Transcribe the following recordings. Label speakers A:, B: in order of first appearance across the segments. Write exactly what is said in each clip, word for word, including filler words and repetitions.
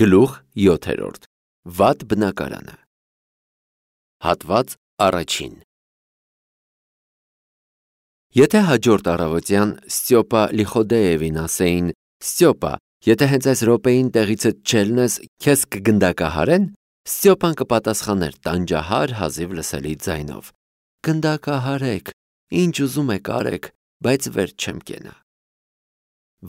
A: Գլուխ յոթերորդ. Վատ բնակարանը։ Հատված առաջին։ Եթե հաջորդ առավոտյան Ստյոպա Լիխոդեևին ասեին. Ստյոպա, եթե հենց այս րոպեին տեղիցդ չելնես, քեզ կգնդակահարեն, Ստյոպան կպատասխաներ տանջահար հազիվ լսելի ձայնով. Գնդակահարեք, ինչ ուզում եք արեք, բայց վեր չեմ կենա։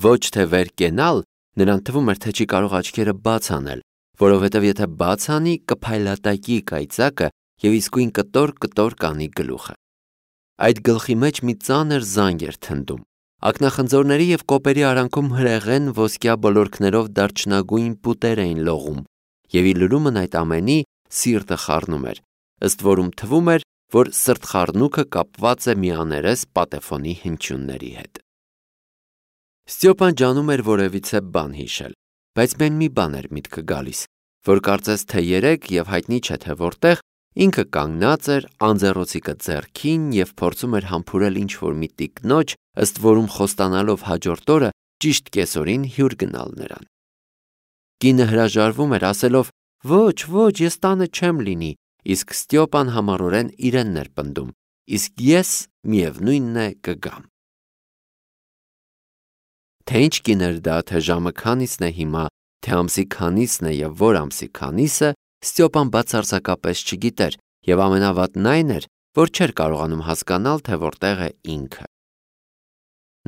A: Ոչ թե վեր կենալ, նրան թվում էր, թե չի կարող աչքերը բաց անել, որովհետև եթե բաց անի, կփայլատակի կայծակը և իսկույն կտոր-կտոր կանի գլուխը։ Այդ գլխի մեջ մի ծանր զանգ էր թնդում։ Ակնախնձորների և կոպերի արանքում հրեղեն ոսկյա բլորքներով դարչնագույն պուտեր էին լողում, և ի լրումն այդ ամենի սիրտը խառնում էր, ըստ որում թվում էր, որ սրտխառնուկը կապված է մի աներես պատեֆոնի հնչյունների հետ։ Ստյոպան ջանում էր որևիցե բան հիշել, բայց միայն մի բան էր միտքը գալիս, որ կարծես թե երեկ և հայտնի չէ թե որտեղ ինքը կանգնած էր անձեռոցիկը ձեռքին և փորձում էր համբուրել ինչ-որ մի տիկնոջ, ըստ որում խոստանալով հաջորդ օրը ճիշտ կեսօրին հյուր գնալ նրան։ Կինը հրաժարվում էր, ասելով. «Ոչ, ոչ, ես տանը չեմ լինի», իսկ Ստյոպան համառորեն իրենն էր պնդում, իսկ ես միևնույնն է կգամ։ Թե ինչ կին էր դա, թե ժամը քանիսն է հիմա, թե ամսի քանիսն է և որ ամսի քանիսը, Ստյոպան բացարձակապես չգիտեր և ամենավատն այն էր, որ չէր կարողանում հասկանալ, թե որտեղ է ինքը։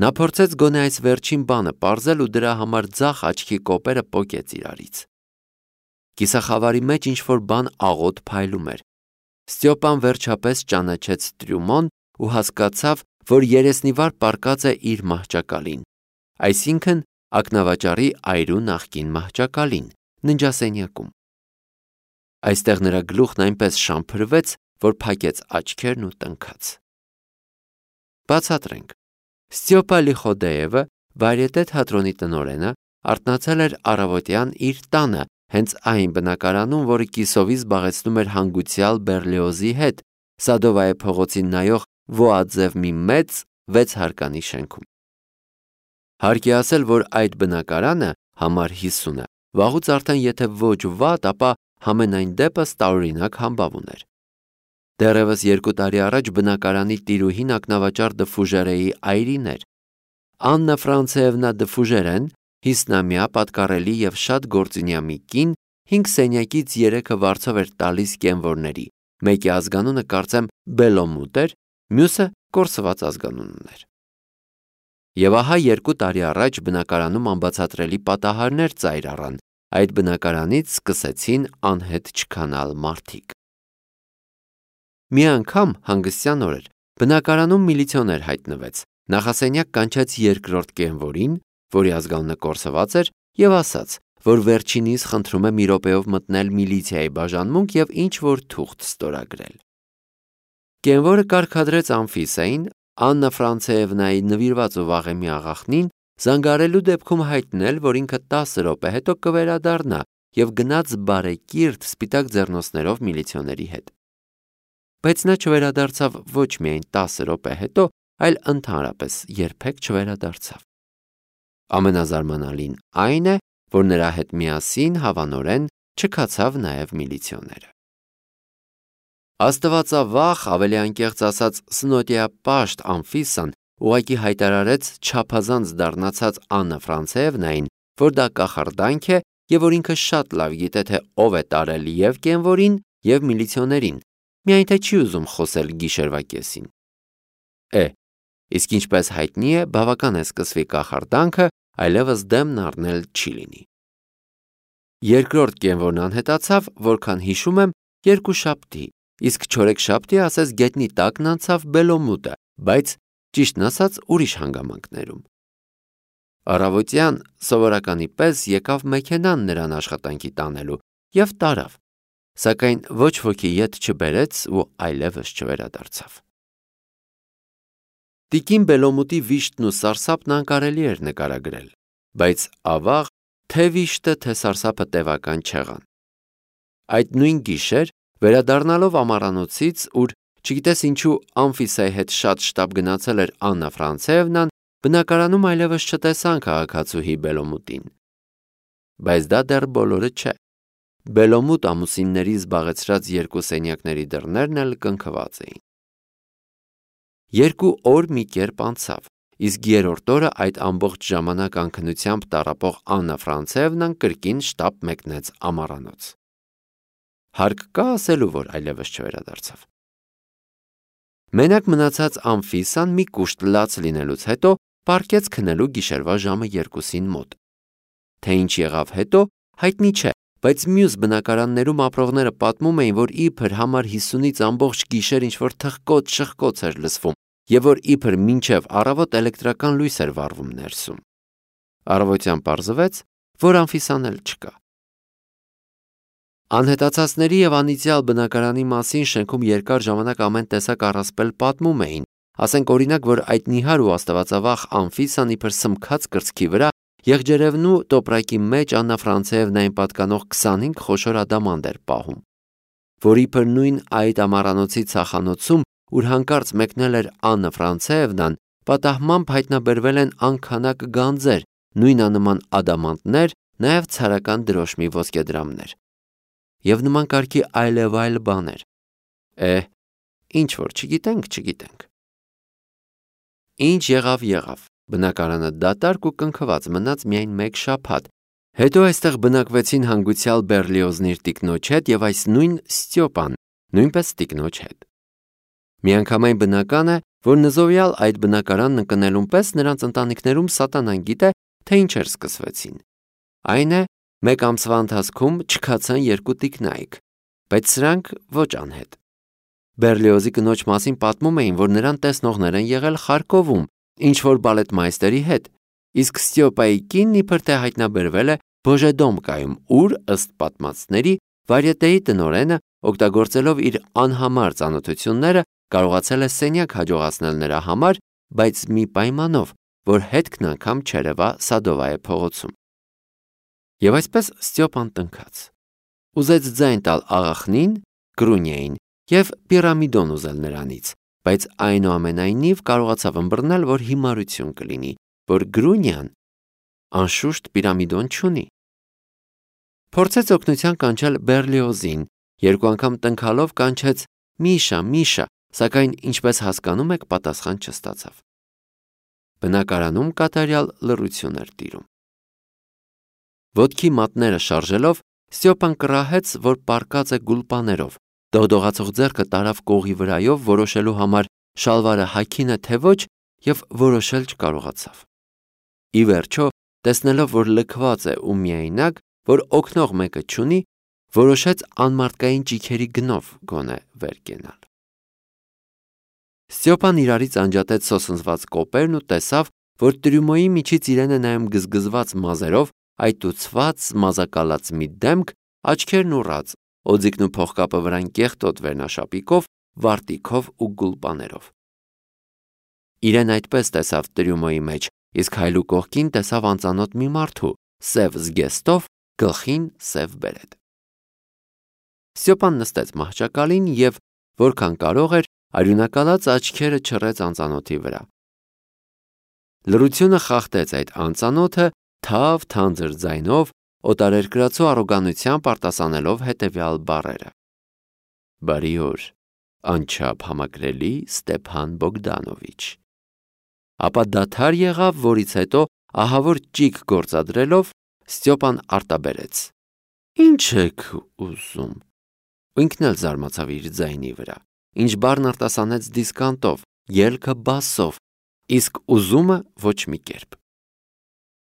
A: Նա փորձեց գոնե այս վերջին բանը պարզել ու դրա համար ձախ աչքի կոպերը պոկեց իրարից։ Կիսախավարի մեջ ինչ-որ բան աղոտ փայլում էր։ Ստյոպան վերջապես ճանաչեց Տրյումոն ու հասկացավ, որ երեսնիվար պառկած է իր մահճակալին, այսինքն ակնավաճառի այրու նախկին մահճակալին, ննջասենյակում։ Այստեղ նրա գլուխն այնպես շամփրվեց, որ փակեց աչքերն ու տնքաց։ Բացատրենք. Ստյոպա Լիխոդեևը, վայրետե թատրոնի տնօրենը, արթնացել էր առավոտյան իր տանը, հենց այն բնակարանում, որը կիսովի զբաղեցնում էր հանգուցյալ Բեռլիոզի հետ, Սադովայե փողոցին նայող վոաձև մի մեծ վեց հարկանի շենքում։ Հարկ է ասել, որ այդ բնակարանը, համար հիսունը, վաղուց արդեն եթե ոչ վատ, ապա համենայն դեպս տարօրինակ համբավ ուներ։ Դեռևս երկու տարի առաջ բնակարանի տիրուհին ակնավաճառ դը Ֆուժերեի այրին էր։ Աննա Ֆրանցեևնա դը Ֆուժերեն, հիսնամյա, պատկառելի և շատ գործունյա մի կին, հինգ սենյակից երեքը վարձով էր տալիս կենվորների, մեկի ազգանունը կարծեմ Բելոմուտ էր, մյուսը կորսված ազգանուն ուներ։ Եվ ահա երկու տարի առաջ բնակարանում անբացատրելի պատահարներ ծայր առան, այդ բնակարանից սկսեցին անհետ չքանալ մարդիկ։ Մի անգամ հանգստյան օրեր բնակարանում միլիցիոներ հայտնվեց, նախասենյակ կանչեց երկրորդ կենվորին, որի ազգանունը կորսված էր, և ասաց, որ վերջինիս խնդրում է մի րոպեով մտնել միլիցիայի բաժանմունք և ինչ-որ թուղթ ստորագրել։ Կենվորը կարգադրեց Անֆիսային, Աննա Ֆրանցեևնայի նվիրված ու վաղեմի աղախնին, զանգարելու դեպքում հայտնել, որ ինքը տասը րոպե հետո կվերադառնա և գնաց բարեկիրթ սպիտակ ձեռնոցներով միլիցիոների հետ։ Բայց նա չվերադարձավ ոչ միայն տասը րոպե հետո, այլ ընդհանրապես երբեք չվերադարձավ։ Ամենազարմանալին այն է, որ նրա հետ միասին հավանորեն չքացավ նաև միլիցիոները։ Աստվածավախ, ավելի անկեղծ ասած սնոտիապաշտ Անֆիսան ուղղակի հայտարարեց չափազանց դառնացած Աննա Ֆրանցեևնային, որ դա կախարդանք է և որ ինքը շատ լավ գիտե, թե ով է տարել և կենվորին, և միլիցիոներին, միայն թե չի ուզում խոսել գիշերվա կեսին։ Է, իսկ ինչպես հայտնի է, բավական է սկսվի կախարդանքը, այլևս դեմն առնել չի լինի։ Երկրորդ կենվորն անհետացավ, որքան հիշում եմ, երկուշաբթի, իսկ չորեքշաբթի ասես գետնի տակն անցավ Բելոմուտը, բայց ճիշտն ասած ուրիշ հանգամանքներում։ Առավոտյան սովորականի պես եկավ մեքենան նրան աշխատանքի տանելու և տարավ, սակայն ոչ ոքի ետ չբերեց ու այլևս չվերադարձավ։ Տիկին Բելոմուտի վիշտն ու սարսափն անկարելի էր նկարագրել, բայց ավաղ թե վիշտը, թե սարսափը տևական չեղան։ Այդ նույն գիշեր, վերադառնալով ամառանոցից, ուր չգիտես ինչու Անֆիսայի հետ շատ շտապ գնացել էր Աննա Ֆրանցեևնան, բնակարանում այլևս չտեսան քաղաքացուհի Բելոմուտին։ Բայց դա դեռ բոլորը չէ։ Բելոմուտ ամուսինների զբաղեցրած երկու սենյակների դռներն էլ կնքված էին։ Երկու օր մի կերպ անցավ, իսկ երրորդ օրը այդ ամբողջ ժամանակ անքնությամբ տառապող Աննա Ֆրանցևնան կրկին շտապ մեկնեց ամառանոց։ Հարկ կա ասելու, որ այլևս չվերադարձավ։ Մենակ մնացած Անֆիսան մի կուշտ լաց լինելուց հետո պառկեց քնելու գիշերվա ժամը երկուսին մոտ։ Թե ինչ եղավ հետո, հայտնի չէ, բայց մյուս բնակարաններում ապրողները պատմում էին, որ իբր համար հիսունից ամբողջ գիշեր ինչ-որ թխկոց-շխկոց էր լսվում, և որ իբր մինչև առավոտ էլեկտրական լույս էր վառվում ներսում։ Առավոտյան պարզվեց, որ Անֆիսան էլ չկա։ Անհետացածների և անիծյալ բնակարանի մասին շենքում երկար ժամանակ ամեն տեսակ առասպել պատմում էին, ասենք օրինակ, որ այդ նիհար ու աստվածավախ Անֆիսան իբր սմքած կրծքի վրա եղջերևնու տոպրակի մեջ Աննա Ֆրանցևնային պատկանող քսանհինգ խոշոր ադամանդ էր պահում, որ իբր նույն այդ ամառանոցի ցախանոցում, ուր հանկարծ մեկնել էր Աննա Ֆրանցևնան, պատահմամբ հայտնաբերվել են անքանակ գանձեր, նույնանման ադամանդներ, նաև ցարական դրոշմի ոսկեդրամներ և նման կարգի այլև այլ բաներ։ Է, ինչ որ չգիտենք, չգիտենք։ Ինչ եղավ եղավ, բնակարանը դատարկ ու կնքված մնաց միայն մեկ շաբաթ, հետո այստեղ բնակվեցին հանգուցյալ Բեռլիոզն իր տիկնոջ հետ և այս նույն Ստյոպան, նույնպես տիկնոջ հետ։ Միանգամայն բնական է, որ նզովյալ այդ բնակարանն ընկնելուն պես նրանց ընտանիքներում սատանան գիտե, թե ինչեր սկսվեցին։ Այն է, մեկ ամսվա ընթացքում չքացան երկու տիկնայք, բայց սրանք ոչ անհետ։ Բեռլիոզի կնոջ մասին պատմում էին, որ նրան տեսնողներ են եղել Խարկովում, ինչ-որ բալետմայստերի հետ, իսկ Ստյոպայի կինն իբր թե հայտնաբերվել է Բոժեդոմկայում, ուր, ըստ պատմածների, վարյետեի տնօրենը, օգտագործելով իր անհամար ծանոթությունները, կարողացել է սենյակ հաջողացնել նրա համար, բայց մի պայմանով, որ հետքն անգամ չերևա Սադովայե փողոցում։ Եվ այսպես Ստյոպան տնքաց։ Ուզեց ձայն տալ աղախնին, Գրունյային, և պիրամիդոն ուզել նրանից, բայց այնուամենայնիվ կարողացավ ըմբռնել, որ հիմարություն կլինի, որ Գրունյան անշուշտ պիրամիդոն չունի։ Փորձեց օգնության կանչել Բեռլիոզին, երկու անգամ տնքալով կանչեց Միշա, Միշա, սակայն ինչպես հասկանում եք, պատասխան չստացավ։ Բնակարանում կատարյալ լռություն էր տիրում։ Ոտքի մատները շարժելով, Ստյոպան կռահեց, որ պառկած է գուլպաներով, դողդողացող ձեռքը տարավ կողի վրայով, որոշելու համար շալվարը հագին է թե ոչ, և որոշել չկարողացավ։ Ի վերջո, տեսնելով, որ լքված է ու միայնակ, որ օգնող մեկը չունի, որոշեց անմարդկային ճիգերի գնով գոնե վեր կենալ։ Ստյոպան իրարից անջատեց սոսնձված կոպերն ու տեսավ, որ տրյումոյի միջից իրեն է նայում գզգզված մազերով, այտուցված, մազակալած մի դեմք, աչքերն ուռած, օձիքն ու փողկապը վրան կեղտոտ վերնաշապիկով, վարտիքով ու գուլպաներով։ Իրեն այդպես տեսավ տրյումոյի մեջ, իսկ հայլու կողքին տեսավ անծանոթ մի մարդու, սև զգեստով, գլխին սև բերետ։ Ստյոպան նստեց մահճակալին և, որքան կարող էր, արյունակալած աչքերը չռեց անծանոթի վրա։ Լռությունը խախտեց այդ անծանոթը թավ թանձր ձայնով, օտարերկրացու առոգանությամբ արտասանելով հետևյալ բառերը. Բարի օր, անչափ համակրելի Ստեփան Բոգդանովիչ։ Ապա դադար եղավ, որից հետո ահավոր ճիգ գործադրելով Ստյոպան արտաբերեց. Ինչ եք ուզում։ Ու ինքն էլ զարմացավ իր ձայնի վրա, ինչ բառն արտասանեց դիսկանտով, ելքը բասով, իսկ ուզումը ոչ մի կերպ։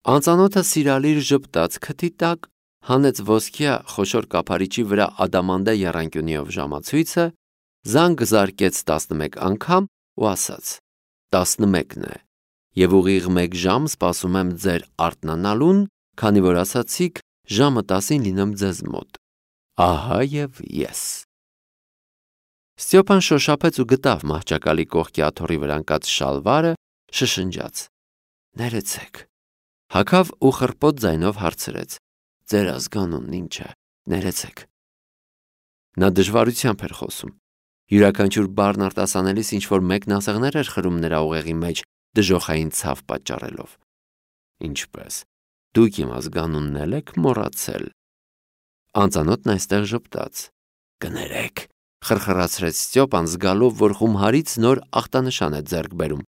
A: Անծանոթը սիրալիր ժպտաց քթի տակ, հանեց ոսկյա խոշոր կափարիչի վրա ադամանդե եռանկյունիով ժամացույցը, զանգ զարկեց տասնմեկ անգամ ու ասաց. տասնմեկն է, և ուղիղ մեկ ժամ սպասում եմ ձեր արթնանալուն, քանի որ ասացիք ժամը տասին լինեմ ձեզ մոտ։ Ահա և ես։ Ստյոպան շոշափեց ու գտավ մահճակալի կողքի աթոռի վրա ընկած շալվարը, շշնջաց. Ներեցեք։ Հագավ ու խռպոտ ձայնով հարցրեց. Ձեր ազգանունն ինչ է, ներեցեք։ Նա դժվարությամբ էր խոսում։ Յուրաքանչյուր բառն արտասանելիս ինչ-որ մեկնասեղներ էր խրում նրա ուղեղի մեջ, դժոխային ցավ պատճառելով։ Ինչպես, Դուք իմ ազգանունն էլ եք մոռացել։ Անծանոթն այստեղ ժպտաց։ Կներեք, խրխրացրեց Ստյոպան, զգալով, որ խումհարից նոր ախտանշան է ձեռք բերում։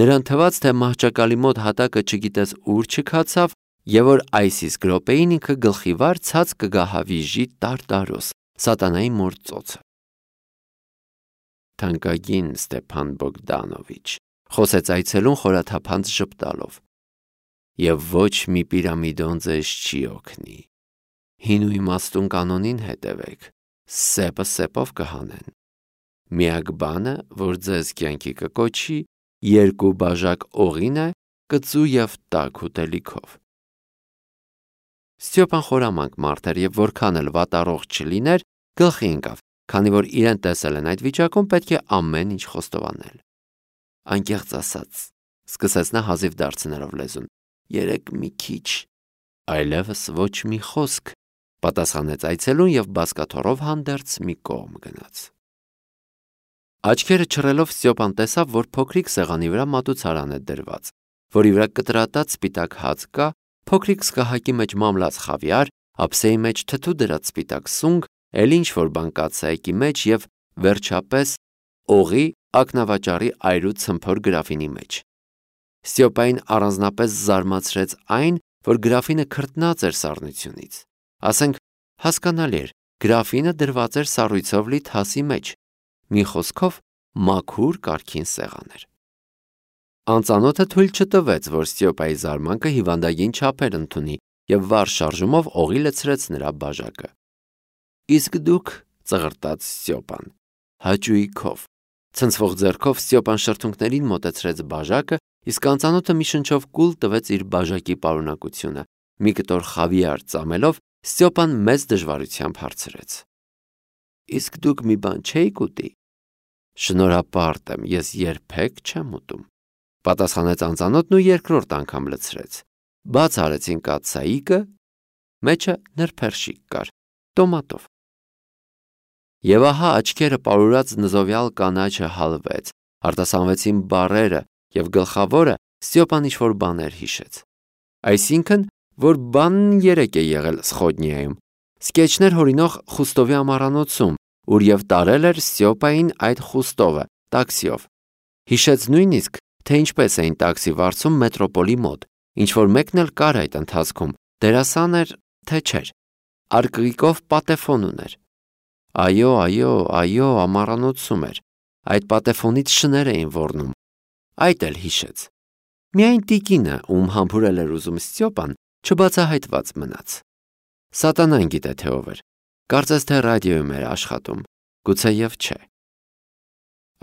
A: Նրան թվաց, թե մահճակալի մոտ հատակը չգիտես ուր չքացավ, եւ որ այս իսկ րոպեին ինքը գլխի վար ցած կգա հավիժի տարտարոս, սատանայի մոր ծոցը։ Թանկագին Ստեփան Բոգդանովիչ, խոսեց այցելուն խորաթափանց ժպտալով, եւ ոչ մի պիրամիդոն ձեզ չի օգնի։ Հին ու իմաստուն կանոնին հետևեք, սեպը սեպով կհանեն։ Միակ բանը, որ ձեզ կյանքի կկոչի, երկու բաժակ օղին է, կծու եւ տաք ուտելիքով։ Ստյոպան խորամանկ մարդ էր եւ որքան էլ վատառողջ չլիներ, գլխի ընկավ, քանի որ իրեն տեսել են այդ վիճակում, պետք է ամեն ինչ խոստովանել։ Անկեղծ ասած, սկսեց նա հազիվ դարձնելով լեզուն, երեք մի քիչ, այլևս ոչ մի խոսք, պատասխանեց այցելուն եւ բազկաթոռով հանդերձ մի կողմ գնաց։ Աչքերը չռելով Ստյոպան տեսավ, որ փոքրիկ սեղանի վրա մատուցարան է դրված, որի վրա կտրատած սպիտակ հաց կա, փոքրիկ սկահակի մեջ մամլած խավիար, ափսեի մեջ թթու դրած սպիտակ սունգ, էլ ինչ որ բան կաթսայեկի մեջ եւ վերջապես օղի ակնավաճառի այրու ցմփոր գրաֆինի մեջ։ Ստյոպային առանձնապես զարմացրեց այն, որ գրաֆինը քրտնած էր սառնությունից։ Ասենք, հասկանալի էր, գրաֆինը դրված էր սառույցով լի թասի մեջ, մի խոսքով մաքուր կարգին սեղան էր։ Անծանոթը թույլ չտվեց, որ Ստյոպայի զարմանքը հիվանդագին չափեր ընդունի եւ վառ շարժումով օղի լցրեց նրա բաժակը։ Իսկ դուք, ծղրտաց Ստյոպան, հաճույքով, ցնցվող ձեռքով Ստյոպան շրթունքներին մոտեցրեց բաժակը, իսկ անծանոթը մի շնչով կուլ տվեց իր բաժակի պարունակությունը։ Մի կտոր խավիար ծամելով Ստյոպան մեծ դժվարությամբ հարցրեց. Իսկ դուք մի բան չէիք ուտի։ Շնորհապարտ եմ, ես երբեք չեմ ուտում, պատասխանեց անծանոթն ու երկրորդ անգամ լցրեց։ Բաց արեցին կաթսայիկը, մեջը նրբերշիկ կար, տոմատով։ Եվ ահա աչքերը պարուրած նզովյալ կանաչը հալվեց, արտասանվեցին բառերը եւ գլխավորը Ստյոպան ինչ-որ բաներ հիշեց։ Այսինքն, որ բանն երեք է եղել Սխոդնիայում, սկեչներ հորինող Խուստովի ամառանոցում, ուր եւ տարել էր Ստյոպային այդ Խուստովը տաքսիով։ Հիշեց նույնիսկ, թե ինչպես էին տաքսի վարձում մետրոպոլի մոտ, ինչ որ մեկն էլ կար այդ ընթացքում, դերասան էր, թե չէր, արկղիկով պատեֆոն ուներ։ Այո, այո, այո, ամառանոցում էր, այդ պատեֆոնից շներ էին ոռնում, այդ էլ հիշեց։ Միայն տիկինը, ում համբուրել էր ուզում Ստյոպան, չբացահայտված մնաց։ Սատանան գիտե թե ով էր, կարծես թե ռադիոյում էր աշխատում, գուցե եւ չէ։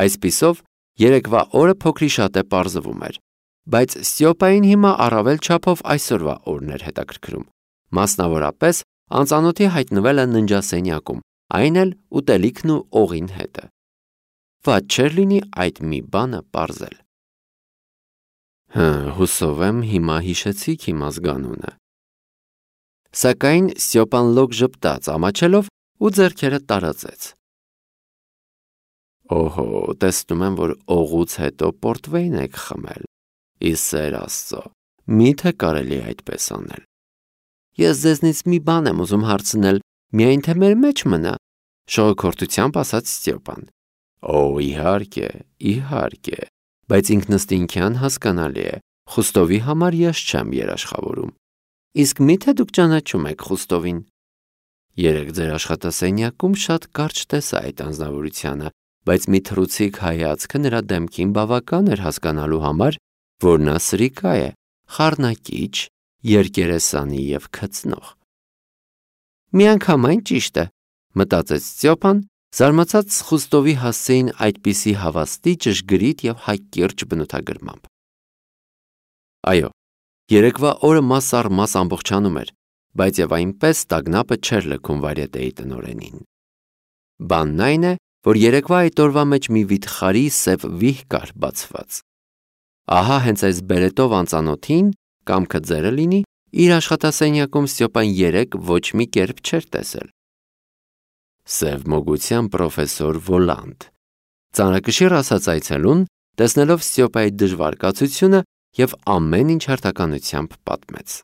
A: Այսպիսով, երեկվա օրը փոքրիշատե պարզվում էր, բայց Ստյոպային հիմա առավել չափով այսօրվա օրն էր հետաքրքրում։ Մասնավորապես, անծանոթի հայտնվելը ննջասենյակում, այն էլ ուտելիքն ու օղին հետը։ Ված չէր լինի այդ մի բանը պարզել։ Հը, հուսով եմ հիմա հիշեցիք իմ ազգանունը։ Սակայն Ստյոպան լոկ ժպտաց ամաչելով ու ձեռքերը տարածեց։ Օհո, տեսնում եմ, որ օղուց հետո պորտվեյն եք խմել։ Իսեր Աստծո, միթե կարելի այդպես անել։ Ես ձեզնից մի բան եմ ուզում հարցնել, միայն թե մեր մեջ մնա, շողոքորթությամբ ասաց Ստյոպան։ Օ, իհարկե, իհարկե, բայց ինքնըստինքյան հասկանալի է, Խուստովի համար ես չեմ երաշխավորում։ Իսկ միթե դուք ճանաչում եք Խուստովին։ Երեք ձեր աշխատասենյակում շատ կարճ տեսա այդ անձնավորությանը, բայց մի թռուցիկ հայացքը նրա դեմքին բավական էր հասկանալու համար, որ նա սրիկա է, խառնակիչ, երկերեսանի եւ քծնող։ Միանգամայն ճիշտ է, մտածեց Ստյոպան, զարմացած Խուստովի հասցեին այդպիսի հավաստի, ճշգրիտ եւ հակիրճ բնութագրմամբ։ Այո, երեկվա օրը մաս առ մաս ամբողջանում էր, բայց եւ այնպես տագնապը չէր լքում վարյետեի տնօրենին։ Բանն այն է, որ երեկվա այդ օրվա մեջ մի վիթխարի սև վիհ կար բացված։ Ահա հենց այս բերետով անծանոթին, կամքը ձերը լինի, իր աշխատասենյակում Ստյոպան երեք ոչ մի կերպ չէր տեսել։ Սև մոգության պրոֆեսոր Վոլանդ, ծանրակշիռ ասաց այցելուն, տեսնելով Ստյոպայի դժվար կացությունը եւ ամեն ինչ հերթականությամբ պատմեց։